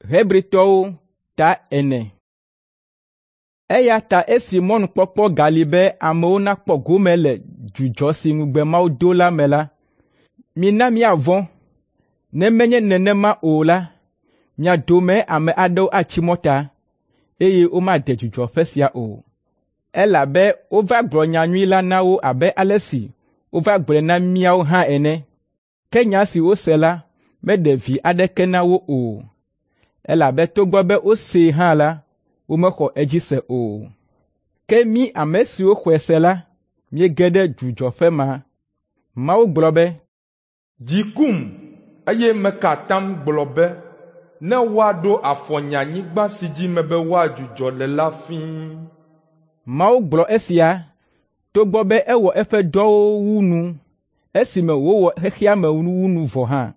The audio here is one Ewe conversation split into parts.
Hebritɔwo ta ene. Eya ta esi mɔnukpɔkpɔ gali be amewo nakpɔ gome le dzudzɔ si ŋugbe Mawu do la me la, mina míavɔ̃. Ne menye nenema o la, mia dome ame aɖewo atsi mɔta, eye womade dzudzɔƒe sia o. Elabe wova gblɔ nyanyui la na wo abe ale si wova gblɔe na míawo hã ene. Ke nya si wose la meɖe vi aɖeke na wo o, elabe togbɔ be wosee hã la, womexɔ edzi se o. Ke mí ame siwo xɔe se la, míege ɖe dzudzɔƒe ma. Mawu gblɔ be, “Dzi kum, eye meka atam gblɔ be, ne woaɖo afɔ nye anyigba si dzi mebe woadzudzɔ le la fĩi.” Mawu gblɔ esia togbɔ be ewɔ eƒe dɔwo wu nu esime wòwɔ xexea me wu nu vɔ hã.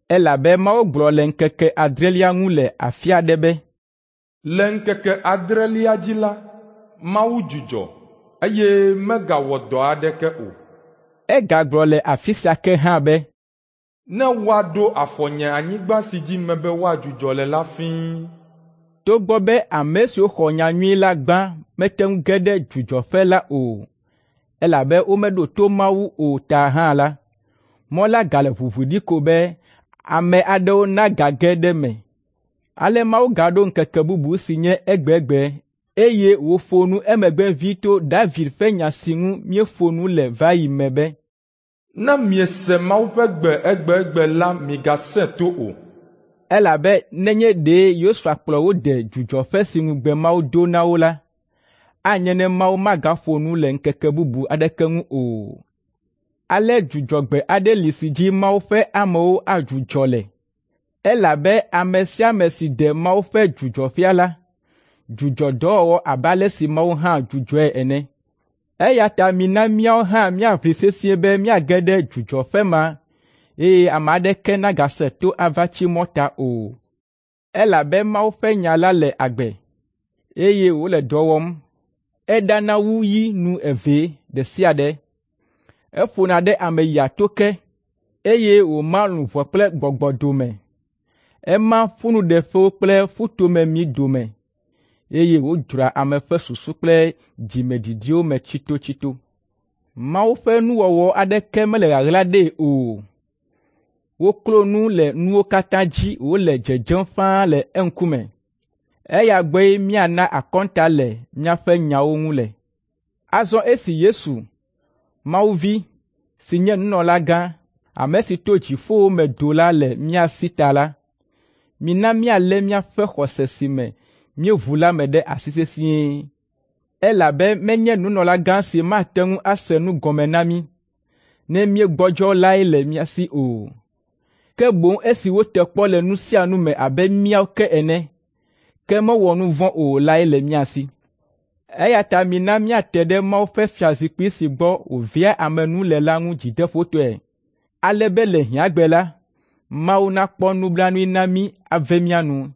Elabe Mawu gblɔ le ŋkeke adrelia ŋu le afi aɖe be, “Le ŋkeke adrelia dzi la, Mawu dzudzɔ, eye megawɔ dɔ aɖeke o.” Egagblɔ le afi sia ke hã be, “Ne woaɖo afɔ nye anyigba si dzi mebe woadzudzɔ le la fĩi.” Togbɔ be ame siwo xɔ nyanyui la gbã mete ŋu ge ɖe dzudzɔƒe la o, elabe womeɖo to Mawu o ta hã la, mɔ la gale ʋuʋu ɖi ko be ame aɖewo nagage ɖe eme. Ale Mawu gaɖo ŋkeke bubu si nye egbegbe, eye wòƒo nu emegbe ʋĩi to David ƒe nya si ŋu míeƒo nu le va yi me be, “Ne miese Mawu ƒe gbe egbegbe la migasẽ to o.” Elabe nenye ɖe Yosua kplɔ wo de dzudzɔƒe si ŋugbe Mawu do na wo la, anye ne Mawu magaƒo nu le ŋkeke bubu aɖeke ŋu o. Ale dzudzɔgbe aɖe li si dzi Mawu ƒe amewo adzudzɔ le, elabe ame sia ame si de Mawu ƒe dzudzɔƒea la, dzudzɔ dɔwɔwɔ abe ale si Mawu hã dzudzɔe ene. Eya ta mina míawo hã míaʋli sesĩe be míage ɖe dzudzɔƒe ma eye ame aɖeke nagase to ava tsi mɔta o. Elabe Mawu ƒe nya la le agbe, eye wòle dɔ wɔm. Eɖana wu yi nu evee ɖe sia ɖe. Eƒona ɖe ame yia to ke, eye wòma luʋɔ kple gbɔgbɔ dome. Ema ƒunuɖeƒewo kple ƒutomemi dome, eye wòdzroa ame ƒe susu kple dzimedidiwo me tsitotsito. Mawu ƒe nuwɔwɔ aɖeke mele ɣaɣla ɖee o. Woklo nu le nuwo katã dzi wòle dzedzem ƒãa le eŋkume. Eya gbɔe míana akɔnta le míaƒe nyawo ŋu le. Azɔ esi Yesu, Mawu Vi, si nye nunɔlagã, ame si to dziƒowo me do la le mía si ta la, mina míalé míaƒe xɔse si me míeʋu la me ɖe asi sesĩe. Elabe menye nunɔlagã si mate ŋu ase nu gɔme na mí, ne míegbɔdzɔ lae le mía si o. Ke boŋ esi wote kpɔ le nu sia nu me abe míawo ke ene, ke mewɔ nu vɔ̃ o lae le mía si. Eya ta mina míate ɖe Mawu ƒe fiazikpui si gbɔ wòvea ame nu le la ŋu dzideƒotɔe, ale be le hiãgbe la, Mawu nakpɔ nublanui na mí ave mía nu.